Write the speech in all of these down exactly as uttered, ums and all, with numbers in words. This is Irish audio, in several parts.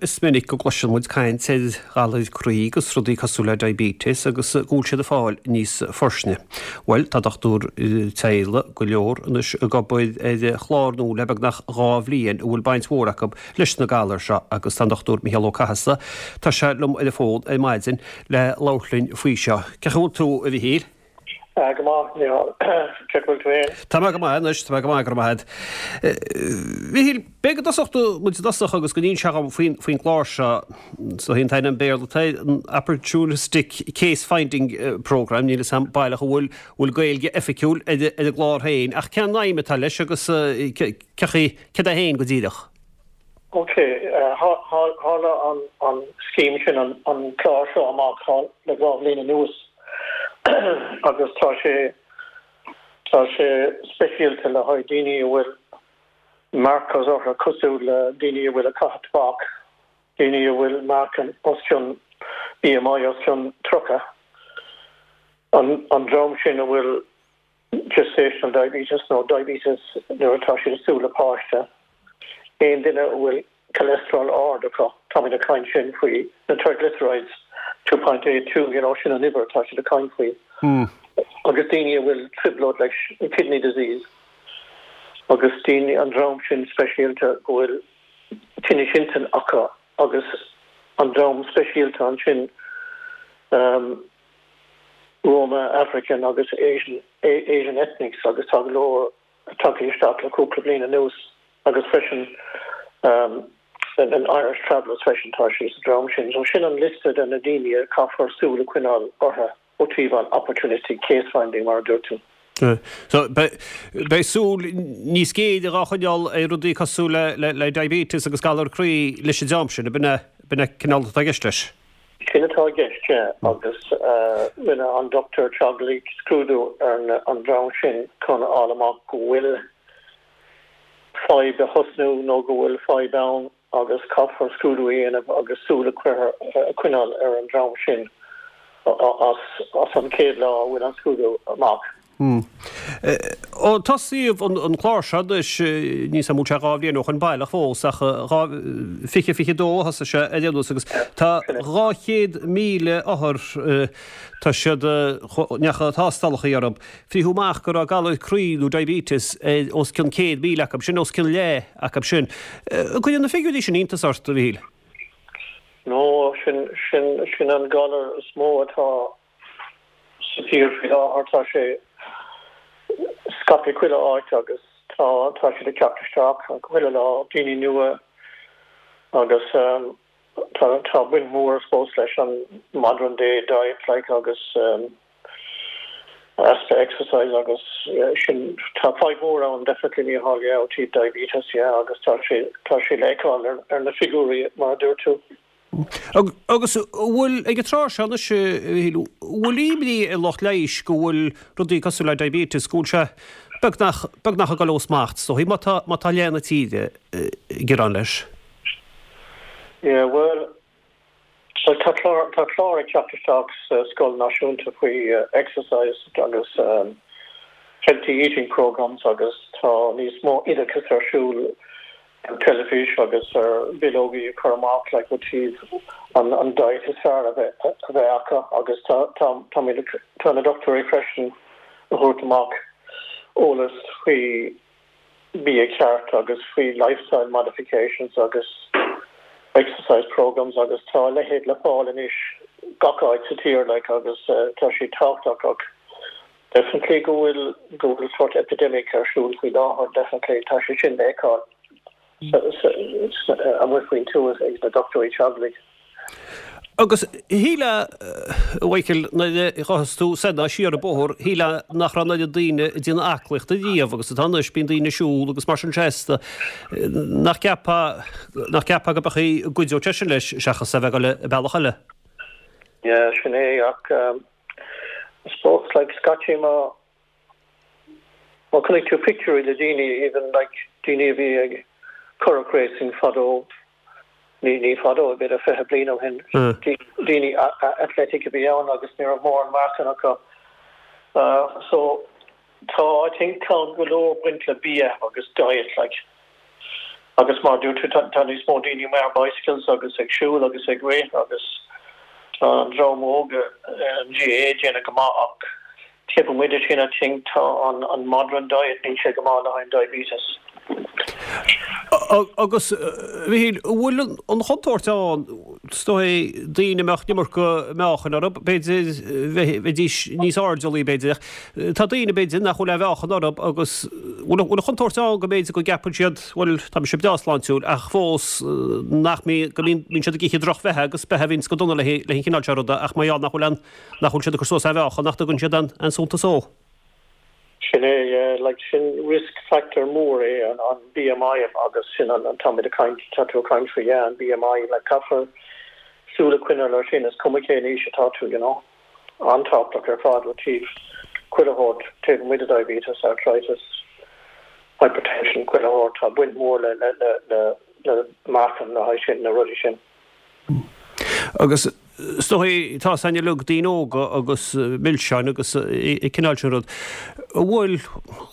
Is minic go gcloiseann muid caint ar ghalair croí agus rudaí cosúil le diabetes agus go bhfuil siad ag fáil níos forsinne. Bhuel, tá dochtúir teaghlaigh go leor anois ag obair ar chlár nua le beagnach dhá bhliain a bhfuil baint mhór acu leis na galair seo agus tá an Dochtúir Micheál Ó Cathasaigh, tá sé liom ar an bhfón ar maidin le labhairt linn faoi seo. Cén chaoi a bhfuil tú, a Mhichíl? Go maith, Micheál. Cén chaoi a bhfuil tú féin? Tá mé go maith anois, tá mé go maith, go raibh maith agat. Mhichíl, b'fhéidir go dtosódh muid i dtosach agus go n-inseofá dhom faoin faoin gclár seo, so an t-ainm Béarla atá air, an Opportunistic Case Finding Programme, níl a fhios agam baileach an bhfuil bhfuil Gaeilge oifigiúil ar ar an gclár féin, ach cén aidhm atá leis agus cé céard é féin go díreach? Ok, tharla an an scéim sin an an clár seo amach le dhá bhliain anuas agus tá sé tá sé speisialta le haghaidh daoine a bhfuil markers orthu cosúil le daoine a bhfuil ag caitheamh tobac, daoine a bhfuil meáchan os cionn B M I os cionn tríocha, an an dream sin a bhfuil gestational diabetes nó diabetes nuair atá siad ag súil le páiste, aon duine a bhfuil cholesterol ard acu, táimid ag caint sin faoi na triglycerides two point eight two, you know, sin an uimhir atá siad ag caint faoi. Agus daoine a bhfuil trioblóid like kidney disease agus daoine an dream sin speisialta go bhfuil tinnis intinne acu agus an dream speisialta ansin um, Roma, African agus Asian, Asian ethnics agus tá go leor tagtha isteach le cúpla bliain anuas agus freisin um, an Irish Travellers freisin, tá sí sa dream sin. So sin an liosta de na daoine a caithfear súil a choinneáil orthu ó thaobh an opportunistic case finding, mar a dúirt tú. So beidh súil níos géire á choinneáil ar rudaí cosúil le, le, le diabetes agus galar croí leis an dream sin, b'in b'in cineál atá i gceist leis. Sin atá i gceist agus rinne an dochtúir teaghlaigh scrúdú ar an dream sin chun fháil amach go bhfuil fadhb ag tosnú nó go bhfuil fadhb ann agus caithfear scrúdú a dhéanamh agus súil a choinneáil ar an dream sin as as an chéad lá a bhfuil an scrúdú amach. Hmm. Ó tosaíodh an, an clár seo is ní sam sé dhá bhliain ó shin baileach fós ach fiche fiche dó thosaigh sé ar aon nós agus tá dhá chéad míle othar tá siad ndeacha tástálacha orthu. Fríothadh amach go raibh galar croí nó diabetes os cionn céad míle acu sin, os cionn leath acu sin. Cuireann na figiúirí sin iontas ort, a Mhichíl? No, sin sin sin an galar is mó atá sa tír faoi láthair. Tá sé scaipthe chuile áit agus tá tá siad ag teacht isteach chuile lá, daoine nua, agus um, tá tá baint mhór suppose leis an modern day diet like agus um, easpa exercise agus yeah, sin tá fadhb mhór ann definitely, Micheál, yeah, ó thaobh diabetes, yeah, agus tá sé tá sé le feiceáil ar, ar na figiúirí, mar a dúirt tú. Agus bhfuil ag an tráth seo anois bhfuil imní ar lucht leighis go bhfuil rudaí cosúil le diabetes, go bhfuil sé beagnach beagnach ag dul ó smacht, so má tá má tá leath na tíre ag gearán leis? Yeah, well, so tá clár tá clár ag teacht isteach sa scoil náisiúnta faoi uh, exercise agus um, healthy eating programs agus tá níos mó oideachas ar siúl an teilifís agus ar bileogaí a chur amach like ó thaobh an an diet is fearr a bheith a bheith acu agus tá tá tá tá na dochtúirí freisin a thabhairt amach eolas faoi bia ceart agus faoi lifestyle modifications agus exercise programs agus tá a leithéid le fáil anois gach áit sa tír like agus uh, tá sé tábhachtach ach definitely go bhfuil go bhfuil sort epidemic ar siúl faoi láthair, definitely tá sé sin le feiceáil amuigh faoin tuath ag na dochtúirí teaghlaigh. Agus shílfeá, a Mhichíl, nuair a ghabhfas tú soir ná siar an bóthar, shílfeá nach raibh an oiread daoine ag déanamh aclaíochta riamh agus atá anois. Bíonn daoine ag siúl agus mar sin seasta. Nach gceapfá nach gceapfá go mbeadh í gcuideodh sé sin leis seachas a bheith ag dul i bealach eile? Yeah, sin é ach um, I suppose like scaití má má chonaic tú pictiúirí le daoine, even like daoine a bhí ag currach racing fadó, ní ní fadó, b'fhéidir fiche bliain ó shin, daoine athletic a bhí ann agus ní raibh mórán meáchan acu. uh, so tá I think tá go leor baint le bia agus diet like Agus mar dúirt tú tá níos mó daoine ar bicycles agus ag siúl agus ag rith agus tá an dream óg an G A déanamh go maith ach taobh amuigh de sin, I think tá an an modern diet, níl sé go maith le haghaidh diabetes. Agus bhí bhfuil an chontúirt ann stoi daoine mbeadh an iomarca meáchain orthu, b'fhéidir bheidís níos airdeallaí b'fhéidir. Tá daoine b'fhéidir nach bhfuil aon mheáchan orthu agus bhfuil an chontúirt ann go mb'fhéidir go gceapann siad bhuel tá mise breá sláintiúil ach fós nach go mbíonn siad ag ithe drochbheatha agus beatha a bhíonns go dona le an chineál seo ruda ach mar gheall nach bhfuil an nach bhfuil siad ag cur suas aon mheáchan nach dtugann siad an an suntas dó. Sin é, like sin risk factor mór é an an B M I agus sin an an tá caint tá tú caint faoi, yeah, an B M I, like caithfear súil a choinneáil air sin, is cuma cén aois atá tú you know an-tábhachtach ar fad ó taobh chuile shórt, taobh amuigh de diabetes, arthritis, hypertension, chuile shórt, tá baint mór le le le le le meáchan le haghaidh sin na rudaí sin. Agus stoi tá san lug daoine óga agus milseáin agus an cineál sin rud. Bhfuil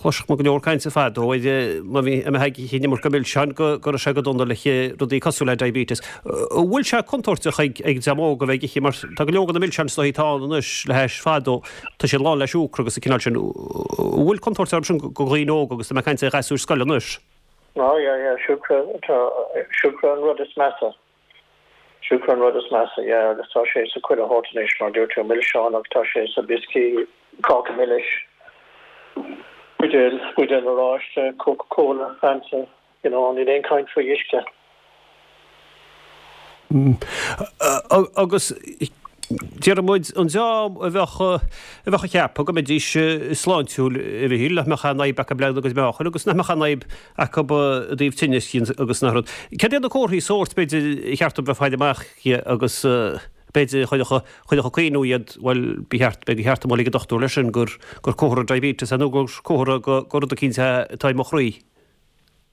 chloiseadh go leor cainte fadó má bhí an iomarca milseáin go go sé go dona le rudaí cosúil le diabetes. Bhfuil sé contúirteach ag ag dream óg a bheith ag ithe mar tá go leor na milseáin stoi tá anois le heis fadó tá sé lán le siúcra agus an cineál sin bhfuil contúirt sin go dhaoine óga agus tá mé caint ar ghasúir scoile anois. No, yeah, yeah, siúcra siúcra an rud is measa. Siúcra an rud is measa, yeah, agus tá sé sa chuile shórt anois mar dúirt tú milseáin ach tá sé sa biscuit, cáca milis, buidéal buidéal oráiste, Coca-Cola, Fanta, you know, níl aon caint faoi uisce. Mm. Agus deir muid an dream a bheadh a bheadh ag ceapadh go mbeidís sláintiúil a bhí le mbeadh an fhadhb acu le agus meáchain agus nach mbeadh an fhadhb acu i dtaobh tinnis agus nach rud. Cad iad na comharthaí sóirt b'fhéidir cheart bheith fáil amach agus b'fhéidir chuideoidh cuimhniú iad bhuel ba cheart ba cheart dul ag an dochtúir leis sin gur gur comhartha diabetes nó gur comhartha go gur rud eicínt atá i mo chroí.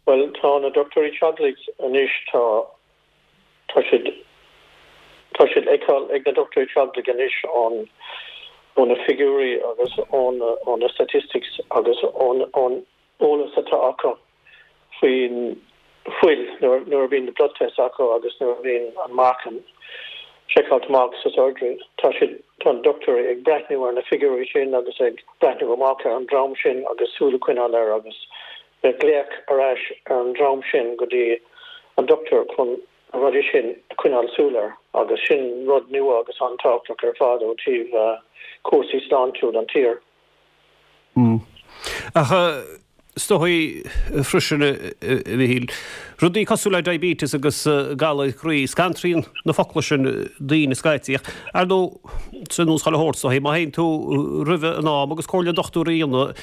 Well tá na dochtúirí teaghlaigh anois tá tá siad tá siad feiceáil ag na dochtúirí teaghlaigh anois an ó na figiúirí agus ón ó na statistics agus ón ón eolas atá acu faoin fuil nuair nuair a bhíonn na blood test acu agus nuair a bhíonn an meáchan seiceáilte amach sa surgery tá siad tá an dochtúirí ag breathnú ar na figiúirí sin agus ag breathnú amach ar an dream sin agus súil a choinneáil air agus beidh glaoch ar ais ar an dream sin go dtí an dochtúir chun an rudaí sin a choinneáil súil air agus sin rud nua agus an-tábhachtach ar fad ó taobh uh, cúrsaí sláintiúil an tír. Mm. Ach stoi freisin bhíil. Rudaí cosúil le diabetes agus galar croí scanraíonn na focla sin daoine scaití. Ar nó san nús chaile thuirt má théann tú roimh an am agus comhairle dochtúir a dhéanamh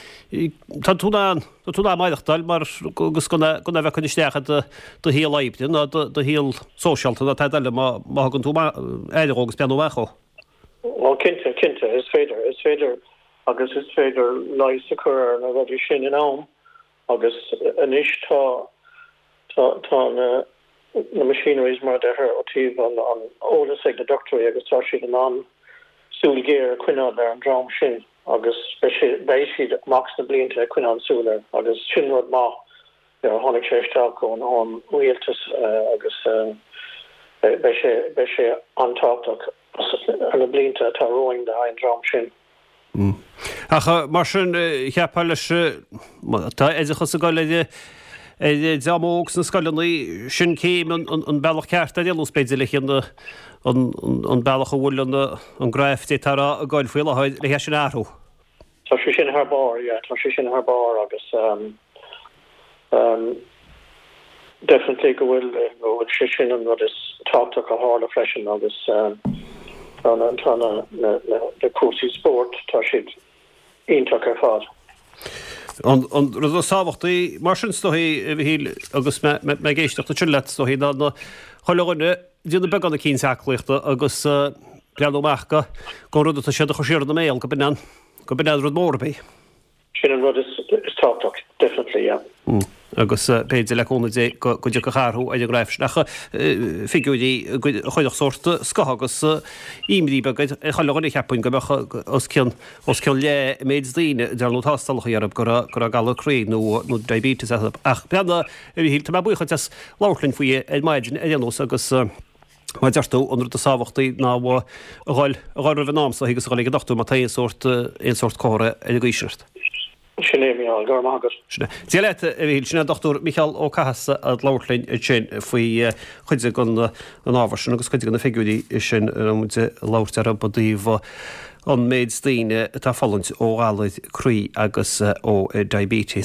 tá tú an tá tú maireachtáil mar agus gona gona bheith chun isteach do do shaol oibre ná do shaol sóisialta ná tada eile má má thugann tú aire agus breathnú amach dhó. Well cinnte cinnte is féidir is féidir agus is féidir leigheas a chur ar na rudaí sin in am agus anois tá tá tá na na machineries mar deir ó taobh an an eolas ag na dochtúirí agus tá siad in ann súil ghéar a choinneáil ar an dream sin agus beidh siad amach sna blianta ag coinneáil súil air agus sin rud maith ar tháinig sé isteach ón ón rialtas agus beidh sé beidh sé an-tábhachtach ar na blianta atá romhainn le an dream sin. Mm. Ach mar sin cheapfá leis tá oideachas ag dul ar ar dream óg sna scoileanna sin céim an bealach ceart ar aon b'fhéidir le an an bealach a bhfuil an an graf tar a gáil faoi láthair le sin athrú. Tá sé sin thar barr, yeah, tá sé sin thar barr agus um, um, definitely go bhfuil go bhfuil sé sin an rud is tábhachtach a tharla freisin agus um, tá na tá na na na na cúrsaí spóirt tá siad iontach ar fad. An an rud is tábhachtaí mar sin stoi bhí agus me ag éisteacht sin leat stoi ná na chuile dhuine déanamh beagán eicínt aclaíochta agus breathnú amach go go rud atá siad a chur siar ina mbéal go b'in go b'in rud mór bí. Sin an rud is is tábhachtach, definitely, yeah. Mm. Agus b'fhéidir le cúnamh Dé go dtiocfadh athrú ar an ngraf sin ach figiúirí a chuirfeadh sórt scáth agus imní beag ar chuile dhuine cheapfainn go mbeadh os cionn os cionn leath an méid daoine a ndearnadh tástálacha orthu go raibh go raibh galar croí nó nó diabetes acu. Ach breathnaigh a Mhíchíl, tá mé buíoch duit as labhairt linn faoi ar maidin ar aon nós agus mar a deir tú an rud is tábhachtaí ná a dhul a dhul roimh an am so agus a dhul ag an dochtúir má tá aon sórt aon sórt comhartha ar an gcaoi sin ort. Sin é Mícheál, go raibh maith agat. Sin é. Dia leat, a Mhíchíl. Sin é an Dochtúir Mícheál Ó Cathasaigh ag labhairt linn ansin faoi chuid den an ábhar sin agus cuid de na figiúirí sin a raibh muid ag labhairt orthu i dtaobh an méid daoine atá ag fulaingt ó ghalair croí agus ó diabetes.